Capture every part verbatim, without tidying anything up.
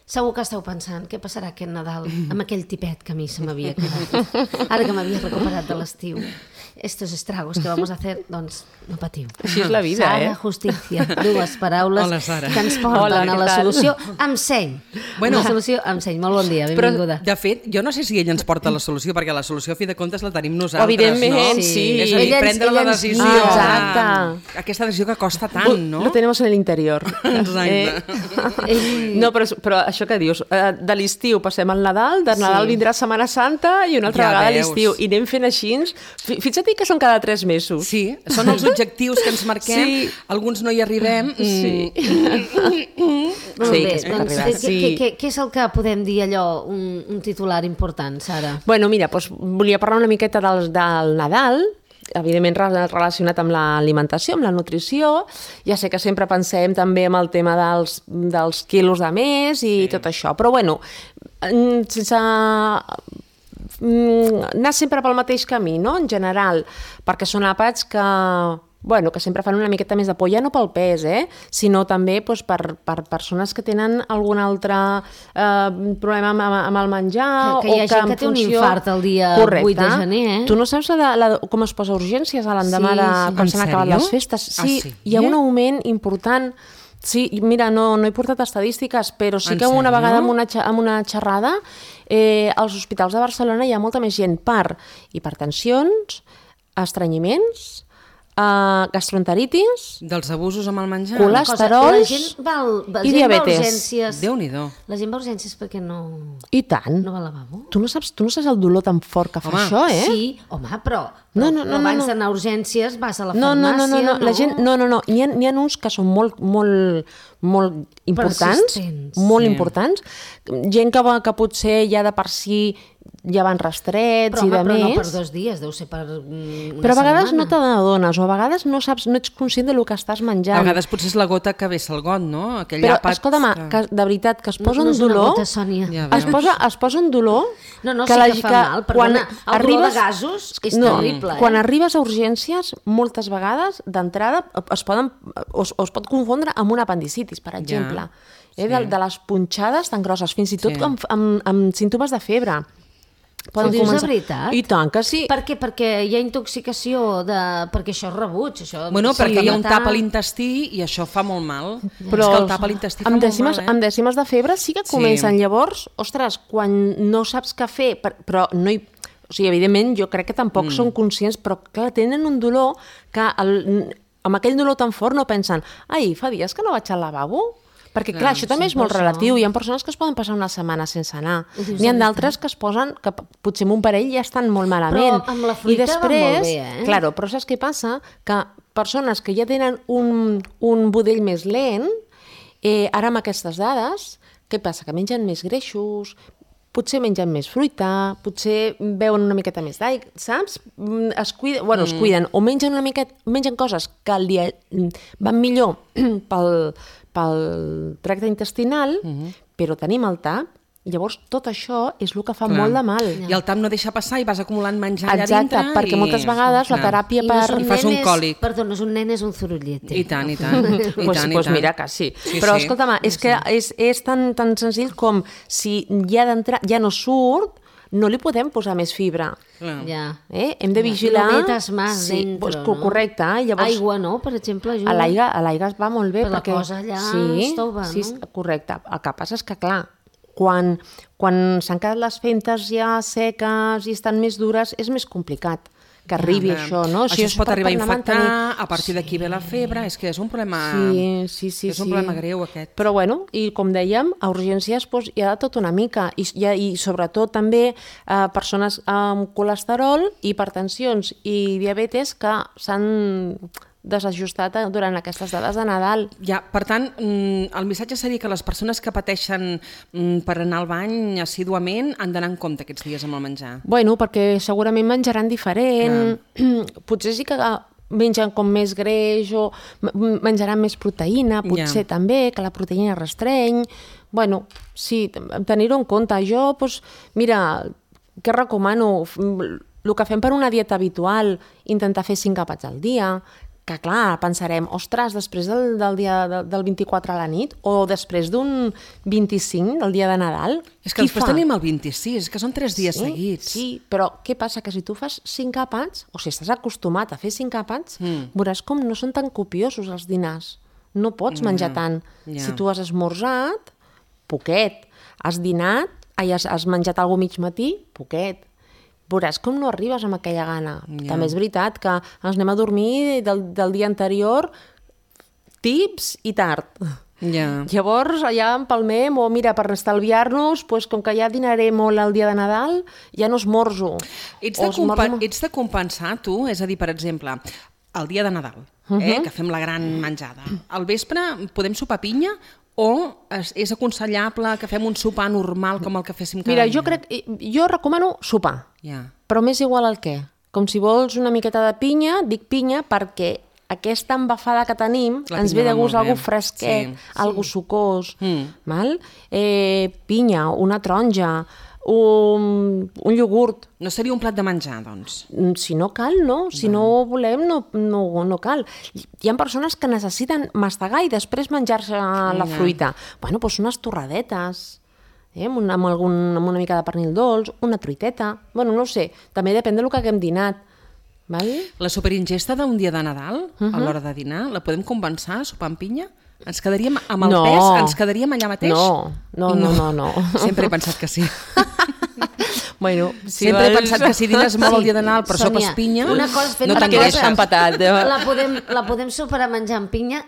Segur que esteu pensant què passarà aquest Nadal amb aquell tipet que a mi se m'havia quedat. Ara que m'havia recuperat de l'estiu. Estos estragos que vamos a hacer, doncs no patiu. Així és la vida, Sara, eh? justícia, dues paraules Hola, Sara. que ens porten Hola, a què la tal? solució amb seny. Bueno. La solució amb seny. Molt bon dia, Però, benvinguda. de fet, jo no sé si ell ens porta la solució, perquè la solució, a fi de comptes, la tenim nosaltres, Evidentment, no? sí. És a dir, Ella ens- prendre ella la ens decisió. guia. Exacte. Aquesta decisió que costa tant, no? Lo tenemos en el interior. Exacte. Ell... No, però, però això que dius, eh, de l'estiu passem al Nadal, de Nadal Sí. vindrà Setmana Santa i una altra Ja vegada veus. l'estiu. I anem fent així. Fi- Fixa't que són cada tres mesos. Sí, són els objectius que ens marquem, Sí. alguns no hi arribem. Sí. Molt Sí, bé, que es pot doncs, arribar. què, Sí. què, què, què és el que podem dir allò, un, un titular important, Sara? Bueno, mira, doncs, volia parlar una miqueta del, del Nadal, evidentment re- relacionat amb l'alimentació, amb la nutrició. Ja sé que sempre pensem també en el tema dels, dels quilos de més i sí. tot això, però bueno, mm, sense mm, anar sempre pel mateix camí, no?, en general, perquè són àpats que bueno, que sempre fan una miqueta més de por, ja no pel pes, eh? sinó també doncs, per, per persones que tenen algun altre eh, problema amb, amb el menjar. Que- que hi ha o gent en que té un funció... infart el dia Correcte. vuit de gener, eh? Tu no saps la, la, com es posa urgències a l'endemà Sí, de sí. quan En s'han acabat sèrio? les festes? Sí, Ah, sí? hi ha un augment important. Sí, i mira, no, no he portat estadístiques, però sí En que una sèrio? vegada en una, xa- en una xerrada eh, als hospitals de Barcelona hi ha molta més gent per hipertensions, estrenyiments, eh, gastroenteritis, Dels abusos amb el menjar. Colàs- Cosa, Colesterols la gent va, al- la i gent va a diabetes. urgències. Déu-n'hi-do. La gent va a urgències perquè no, i tant. no va al lavabo. Tu no saps, tu no saps el dolor tan fort que fa Home, això, eh? Sí, home, però, No, però, no, no, però no, abans no. d'anar a urgències vas a la No, no, farmàcia, no, no, no, la gent, no, no, no, n'hi ha, n'hi ha uns que són molt, molt, molt importants, Persistents. molt Sí. importants, gent que, va, que potser ja de per si ja van rastrets però, i home, de però no més, per dos dies, deu ser per mm, una però a vegades setmana. no te n'adones, o a vegades no saps, no ets conscient del que estàs menjant. A vegades potser és la gota que vessa el got, no? Aquell Però, àpat escolta'm, que- que, de veritat, que es posa no, no un és una dolor... gota, Sònia. Ja Es veus. posa, es posa un dolor... No, no, que sí la- que fa mal, perdona, el dolor de gasos és terrible, eh? Quan arribes a urgències, moltes vegades, d'entrada, es, poden, o, es, o es pot confondre amb una apendicitis, per exemple. Ja, eh, de, sí. de les punxades tan grosses, fins i tot Sí. amb, amb, amb símptomes de febre. Ho dius de veritat? I tant que sí. Per què? Perquè hi ha intoxicació, de... perquè això és rebuig. Això... Bueno, sí, perquè hi ha un matar- tap a l'intestí i això fa molt mal. Però és que el tap a l'intestí fa amb molt dècimes, mal, eh? amb dècimes de febre sí que Sí. comencen. Llavors, ostres, quan no saps què fer, per- però no hi... O sigui, evidentment, jo crec que tampoc mm. són conscients, però clar, tenen un dolor que el, amb aquell dolor tan fort no pensen ai, fa dies que no vaig al lavabo? Perquè, clar, Clar, això també sí, és molt per això. relatiu. Hi ha persones que es poden passar una setmana sense anar. Ho dius N'hi ha de d'altres que es posen, que p- potser amb un parell ja estan molt malament. Però amb la fruita I després, va molt bé, eh? Claro, però saps què passa? Que persones que ja tenen un, un budell més lent, eh, ara amb aquestes dades, què passa? Que mengen més greixos, potser mengen més fruita, potser beuen una miqueta més d'aigua, saps? Mm, Es cuiden, bueno, es cuiden, o mengen una miqueta, mengen coses que el dia van millor pel, pel tracte intestinal, però tenim el tap, i llavors tot això és el que fa Clar. molt de mal. I el tap no deixa passar i vas acumulant menjar allà Exacte, dintre. perquè i... moltes vegades la Clar. teràpia I per... no és un I fas nen, un és- còlic. Perdó, no és un nen, és un zorullete. I tant, i tant. I pues, tant, i pues tant. mira que sí. Sí, Però sí. escolta'm, és que és, és tan, tan senzill com si ja d'entrar ja no surt, no li podem posar més fibra. Clar. Ja. Eh? Hem de vigilar... No metes más dentro, pues, no? Correcte. eh? Llavors, Aigua, no? Per exemple, ajuda. a l'aigua a l'aigua es va molt bé. Però la perquè... cosa allà sí, estova, sí, no? correcte. El que passa és que, clar, quan, quan s'han quedat les fentes ja seques i estan més dures, és més complicat que arribi Clar. això, no? O sigui, Això es pot per- arribar a per anar infectar, mantenint- a partir d'aquí ve la febre, és que és un problema... Sí, sí, sí. és un sí. problema greu, aquest. Però bueno, i com dèiem, a urgències doncs, hi ha de tot una mica, i, i, i sobretot també eh, persones amb colesterol, hipertensions i diabetes que s'han desajustat durant aquestes dades de Nadal. Ja, per tant, mm, el missatge seria que les persones que pateixen mm, per anar al bany assíduament han d'anar en compte aquests dies amb el menjar. Bueno, perquè segurament menjaran diferent, potser sí que mengen com més greix o m- menjaran més proteïna, potser Ja. també, que la proteïna restreny. Bueno, sí, tenir-ho en compte. Jo, doncs, mira, què recomano? El que fem per una dieta habitual, intentar fer cinc àpats al dia, que clar, pensarem, ostres, després del, del dia de, del vint-i-quatre a la nit o després d'un vint-i-cinc, del dia de Nadal, És que qui després fa? tenim el vint-i-sis, que són tres dies Sí, seguits. sí, però què passa? Que si tu fas cinc àpats, o si estàs acostumat a fer cinc àpats, mm. veuràs com no són tan copiosos els dinars. No pots menjar Ja, tant. ja. Si tu has esmorzat, poquet. Has dinat, ai, has, has menjat alguna mig matí, poquet. Veuràs com no arribes amb aquella gana. Ja. També és veritat que ens anem a dormir del, del dia anterior tips i tard. Ja. Llavors, allà empalmem, o mira, per estalviar-nos, pues, com que ja dinaré molt el dia de Nadal, ja no esmorzo. Ets de, O esmorzo compa molt. ets de compensar, tu? És a dir, per exemple, el dia de Nadal, Uh-huh. eh, que fem la gran menjada. Al vespre podem sopar pinya o és, és aconsellable que fem un sopar normal com el que féssim cada Mira, dia? jo crec, jo recomano sopar, Ja. però m'és igual el què. Com si vols una miqueta de pinya, dic pinya perquè aquesta embafada que tenim La ens pinya ve de va gust molt bé. algú fresquet, Sí. algú sucós, Mm. val? Eh, pinya, una taronja, un, un iogurt. No seria un plat de menjar, doncs? Si no cal, no. Si no volem, no, no, no cal. Hi ha persones que necessiten mastegar i després menjar-se la Ja. fruita. Bueno, doncs unes torradetes, eh? amb, una, amb, algun, amb una mica de pernil dolç, una truiteta. Bueno, no ho sé, també depèn del que haguem dinat. Val? La superingesta d'un dia de Nadal, a l'hora de dinar, la podem compensar sopar amb pinya? Ens quedaríem amb el No. pes? Ens quedaríem allà mateix? No, no, no, no, no. Sempre he pensat que sí. Bueno, si Sempre he vols- pensat que si dines molt el dia de Nadal però Sònia, sopes pinya, una cosa és fer no una t'engreixes. cosa, empatat. eh? La podem, la podem superar menjant pinya,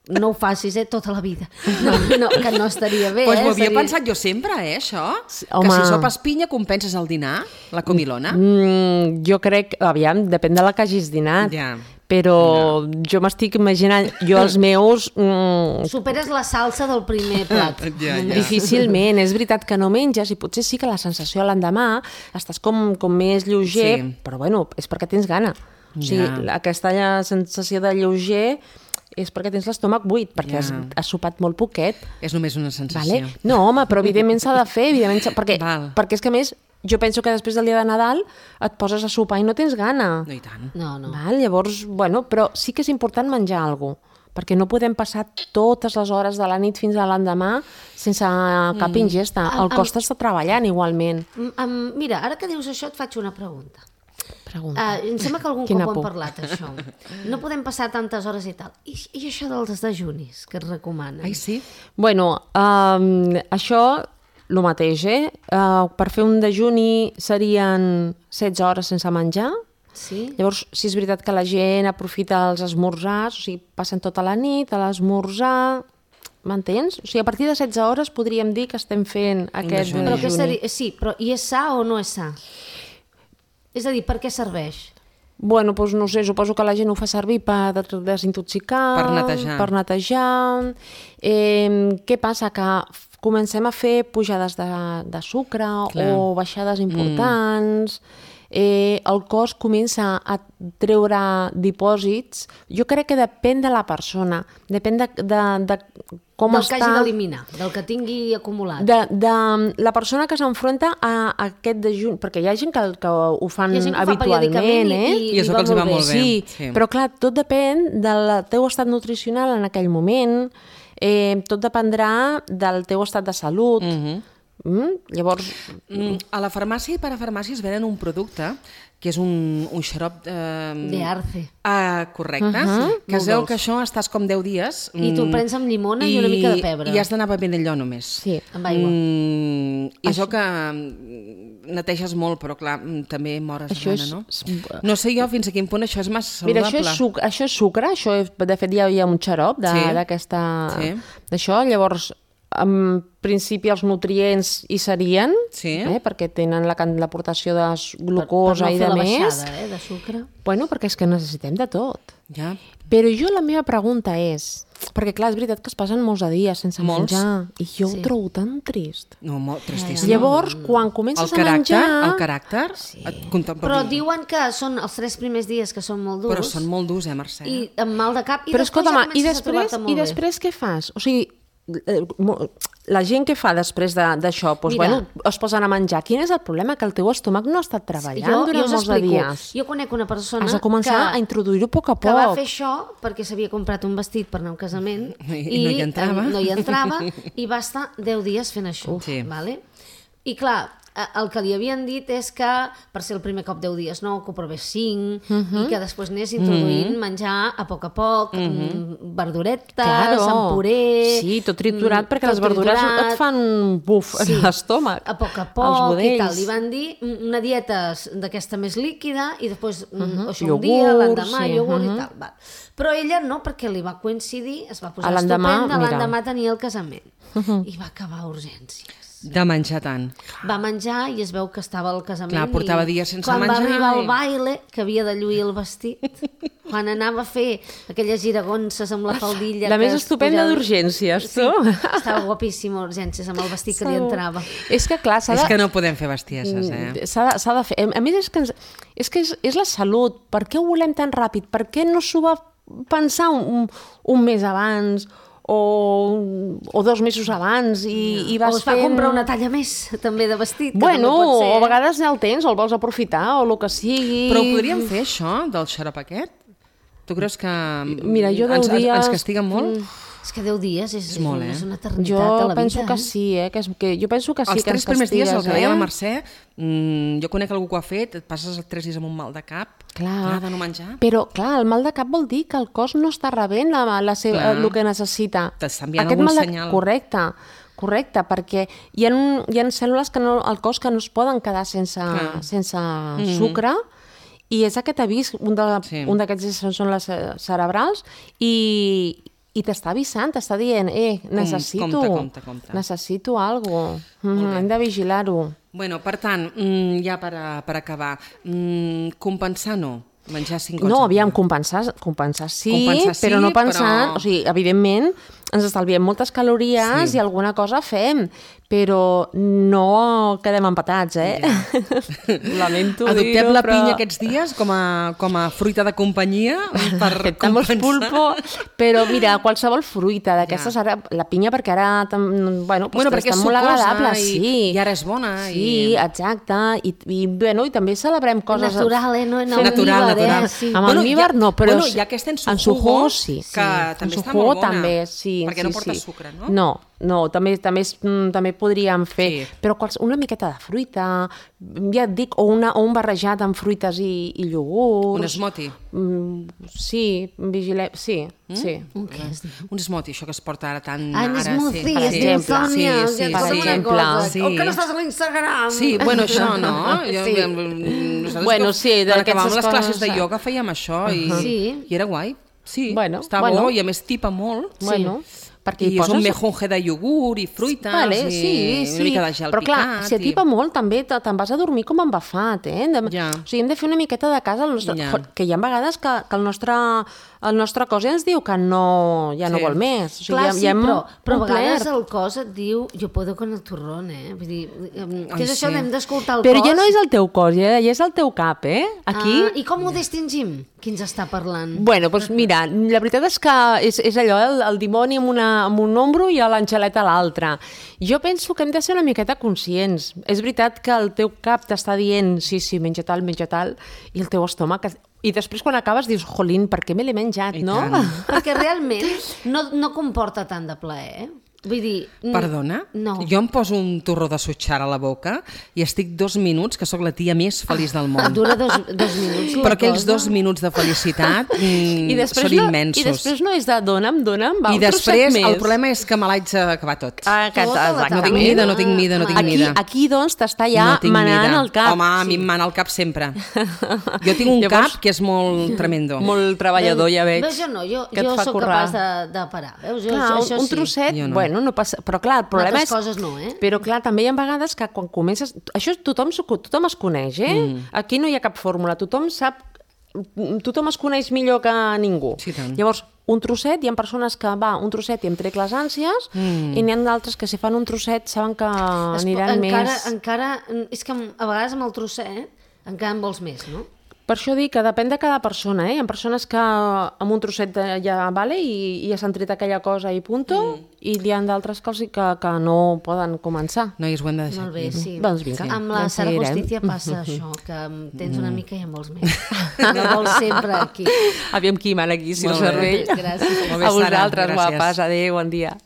no ho facis, eh, tota la vida. No, no, que no estaria bé, Pues eh? m'ho havia Seria- pensat jo sempre, eh, això. Sí, que home. si sopes pinya compenses el dinar, la comilona. Mm, jo crec, aviam, depèn de la que hagis dinat. Ja. Però jo m'estic imaginant, jo els meus... Mm, Superes la salsa del primer plat. Ja, ja. difícilment, és veritat que no menges i potser sí que la sensació l'endemà estàs com, com més lleuger, Sí. però bueno, és perquè tens gana. O sigui, Ja. la- aquesta sensació de lleuger és perquè tens l'estómac buit, perquè Ja. has, has sopat molt poquet. És només una sensació. Vale? No, home, però evidentment s'ha de fer, evidentment, s'ha- perquè, Val. perquè és que a més, jo penso que després del dia de Nadal et poses a sopar i no tens gana. No, i tant. No, no. Val? Llavors, bueno, però sí que és important menjar alguna cosa, perquè no podem passar totes les hores de la nit fins a l'endemà sense cap ingesta. Am- El am- cos està treballant igualment. Mm, um, mira, ara que dius això et faig una pregunta. Pregunta. Uh, em sembla que algun Quina cop ho hem por. parlat, això. No podem passar tantes hores i tal. I, i això dels dejunis que et recomanen? Ai, sí? Bueno, um, això, el mateix, eh? Uh, per fer un dejuni serien setze hores sense menjar. Sí? Llavors, sí és veritat que la gent aprofita els esmorzars, o sigui, passen tota la nit a l'esmorzar, m'entens? O sigui, a partir de setze hores podríem dir que estem fent aquest dejuni. Però què dejuni. seria? Sí, però i és sa o no és sa? És a dir, per què serveix? Bueno, doncs no sé, suposo que la gent ho fa servir per desintoxicar, Per netejar. per netejar. Eh, què passa? Que f- comencem a fer pujades de, de sucre Clar. o baixades importants, eh, el cos comença a treure dipòsits. Jo crec que depèn de la persona, depèn de, de, de com del que està... hagi d'eliminar, del que tingui acumulat. De, de la persona que s'enfronta a, a aquest dejuni, perquè hi ha gent que, que ho fan Hi ha gent que ho fa habitualment, periòdicament i- eh? i- I això que els hi va molt bé. Sí, Sí. però clar, tot depèn del teu estat nutricional en aquell moment, eh, tot dependrà del teu estat de salut. Mhm. Mm? Llavors, Mm, a la farmàcia i parafarmàcia es venen un producte que és un, un xarop... Eh, De arce. Ah, correcte. Uh-huh. Que es Molt veu dolç. que això estàs com deu dies... I tu el mm, prens amb llimona i una mica de pebre. I has d'anar bevent allò només. sí. Amb aigua. Mm, I això que mm, neteges molt, però clar, mm, també mores Això de gana, és- no? és- No sé jo fins a quin punt això és massa Mira, saludable. això és, suc això és sucre, això és, de fet hi ha, hi ha un xarop de- Sí. d'aquesta... Sí. D'això, llavors, en principi els nutrients hi serien, Sí. eh, perquè tenen la can- l'aportació de s- Per- glucosa per no i fer de la més. baixada, eh, de sucre. Bueno, perquè és que necessitem de tot. Ja. Però jo la meva pregunta és... Perquè clar, és veritat que es passen molts de dies sense Molts. menjar i jo Sí. ho trobo tan trist. No, molt tristíssim. Llavors, quan el comences a caràcter, menjar... el caràcter... Sí. Et contempla... Però diuen que són els tres primers dies que són molt durs Però són molt durs, eh, Mercè? i amb mal de cap i Però després escolta'm, ja i comences a després, trobar-te molt i bé. després què fas? O sigui, la gent que fa després d'això, doncs, Mira. bueno, es posen a menjar. Quin és el problema? Que el teu estómac no ha estat treballant Jo, jo durant us molts de explico. dies. Jo conec una persona Has de començar que, a introduir-ho a poc a que va poc. fer això perquè s'havia comprat un vestit per anar a un casament I no hi entrava. eh, no hi entrava i va estar deu dies fent això. Sí. Vale? I clar, eh, el que li havien dit és que per ser el primer cop deu dies no, que ho provés cinc Uh -huh. i que després anés introduint uh -huh. menjar a poc a poc, uh -huh. verduretes, Claro. amb puré... Sí, tot triturat, mm, perquè tot les verdures triturat. et fan buf Sí. a l'estómac. A poc a als poc i budells. tal. Li van dir una dieta d'aquesta més líquida i després uh -huh. això un Iogurts, dia, l'endemà, sí, iogurt uh -huh. i tal. Va. Però ella no, perquè li va coincidir, es va posar A l'endemà, estupenda, mira. l'endemà tenia el casament. Uh -huh. I va acabar a urgències. De menjar tant. Va menjar i es veu que estava al casament. Clar, portava i dies sense quan menjar va arribar i- al baile, que havia de lluir el vestit, quan anava a fer aquelles giragonses amb la faldilla... La que més es estupenda posava- d'urgències, Sí, tu. estava guapíssima a urgències amb el vestit que li entrava. És que, clar, s'ha És de... que no podem fer bestieses, eh? S'ha de, s'ha de fer. A més, és que, ens, és, que és, és la salut. Per què ho volem tan ràpid? Per què no s'ho va pensar un, un, un mes abans o, o dos mesos abans i, i vas O es va fent... comprar una talla més, també, de vestit. que Bueno, també pot ser, o a eh? vegades ja el tens o el vols aprofitar o el que sigui. Però ho podríem fer, això, del xarop aquest? Tu creus que Mira, jo deu ens, ens, dies- ens castiguen molt? És que deu dies és, és, molt, una, eh? és una eternitat Jo a la vida. penso que eh? sí, eh? Que, és, que jo penso que sí Els que tres ens primers dies, el castigues, que deia eh? la Mercè, mmm, jo conec algú que ho ha fet, et passes els tres dies amb un mal de cap, Clar. de no menjar. Però, clar, el mal de cap vol dir que el cos no està rebent la, la seva, Clar. el que necessita. T'està enviant Aquest algun mal de... senyal. Correcte, correcte, perquè hi ha, un, hi ha cèl·lules que no, al cos que no es poden quedar sense, Clar. sense sucre, i és aquest avís, un de- Sí. un d'aquests són les eh, cerebrals, i, i t'està avisant, t'està dient, eh, necessito, compte, compte, compte. necessito alguna cosa, hem de vigilar-ho. Bueno, per tant, mm, ja per, a, per acabar, mm, compensar no, menjar cinc cops. No, al aviam, dia. compensar, compensar sí, Compensar sí, però no pensant... però- O sigui, evidentment, ens estalviem moltes calories Sí. i alguna cosa fem, però no quedem empatats, eh? Lamento Adoptem dir-ho, la però... pinya aquests dies com a, com a fruita de companyia per Aceptamos compensar. pulpo, però mira, qualsevol fruita d'aquestes, Ja. ara, la pinya perquè ara, tam- bueno, pues Bueno, perquè és està molt sucosa agradable, i- sí. i ara és bona, Sí, i- exacte, i, i, bueno, i també celebrem coses... Natural, eh? No en Natural, almíbar, natural. Eh? Sí. Amb Bueno, almíbar ja- no, però... bueno, hi ha aquesta en su en su jugo, jugo, sí. que sí. també en su està jugo molt bona, també, sí. perquè sí, no porta sí. sucre, no? No, no, també, també, és, mm, també podríem fer, Sí. però quals, una miqueta de fruita, ja et dic, o, una, o un barrejat amb fruites i, i iogurts. Un smoothie. Mm, sí, vigilem, sí, Mm? sí. Un què has dit? Un smoothie, això que es porta ara tan... Ah, un ara, smoothie, sí, per es sí, diu exemple. Sònia, sí, que sí, per com sí. una exemple. cosa. Sí. O que no estàs a l'Instagram. Sí, bueno, això, no? Jo, Sí. nosaltres Bueno, que- sí, quan d'aquestes acabàvem les classes coses, de eh. ioga fèiem això i, Sí. i era guai. Sí, Bueno, està bueno. bo i a més tipa molt. Bueno, perquè I hi és un poses... mejunje de iogurt i fruites Vale, i sí, sí. una mica de gel però clar, picat. si atipa i... molt també te- te'n vas a dormir com embafat, eh? Hem de, Ja. O sigui, hem de fer una miqueta de cas al nostre... Ja. Jo, que hi ha vegades que, que el, nostre, el nostre cos ja ens diu que no, ja no Sí. vol més. O sigui, Clar, ja, sí, ja hem però, però a vegades complert. el cos et diu jo puedo con el turrón, eh? Vull dir, em, Ai, què és això? sí. Hem d'escoltar el Però cos. ja no és el teu cos, ja, ja és el teu cap, eh? Aquí... Ah, I com ho distingim? Qui ens està parlant? Bueno, doncs mira, la veritat és que és, és allò, el, el dimoni amb, una, amb un ombro i l'angeleta a l'altre. Jo penso que hem de ser una miqueta conscients. És veritat que el teu cap t'està dient sí, sí, menja tal, menja tal, i el teu estómac... I després quan acabes dius, jolín, per què me l'he menjat, I no? tant. Perquè realment no, no comporta tant de plaer, eh? Vull dir... n- Perdona? No. Jo em poso un torró de sutxar a la boca i estic dos minuts, que sóc la tia més feliç del món. Dura dos, dos minuts la Però aquells cosa. dos minuts de felicitat mm, I després, són no, immensos. I després no és de dona'm, dona'm, va, I un trosset després més. el problema és que me l'haig d'acabar tot. Ah, que, Tota la exactament. no tinc mida, no tinc mida, no tinc Aquí, mida. aquí doncs, t'està ja no tinc manant mida. el cap. Home, a mi em mana el cap sempre. Jo tinc un Llavors- cap que és molt tremendo. Molt treballador, ja veig. Veus, jo no, jo, que et jo fa sóc currar. capaç de, de parar. Veus, jo, Clar, això, això un sí. trosset, Jo no. bueno, no passa... Però clar, el problema Altres és... coses no, eh? Però clar, també hi ha vegades que quan comences... Això tothom, s'ho- tothom es coneix, eh? Mm. Aquí no hi ha cap fórmula. Tothom sap... Tothom es coneix millor que ningú. Sí, tant. Llavors, un trosset, hi ha persones que va, un trosset i em trec les ànsies, mm. i n'hi ha d'altres que si fan un trosset saben que Es po- aniran encara, més... encara, és que a vegades amb el trosset encara en vols més, no? Per això dic que depèn de cada persona, eh? Hi ha persones que amb un trosset de- ja vale i, i ja s'han tret aquella cosa i punto, mm. i hi ha d'altres que, els hi- que, que no poden començar. Noies, ho hem de deixar Molt bé, aquí. sí. Doncs vinga, Amb la ja Sara seguirem. Justícia passa això, que tens una mica i en vols més. No vols sempre aquí. Aviam qui mana aquí, si Molt el bé. cervell. Gràcies. Molt bé, A Sara, vosaltres, gràcies. guapes. Adéu, bon dia.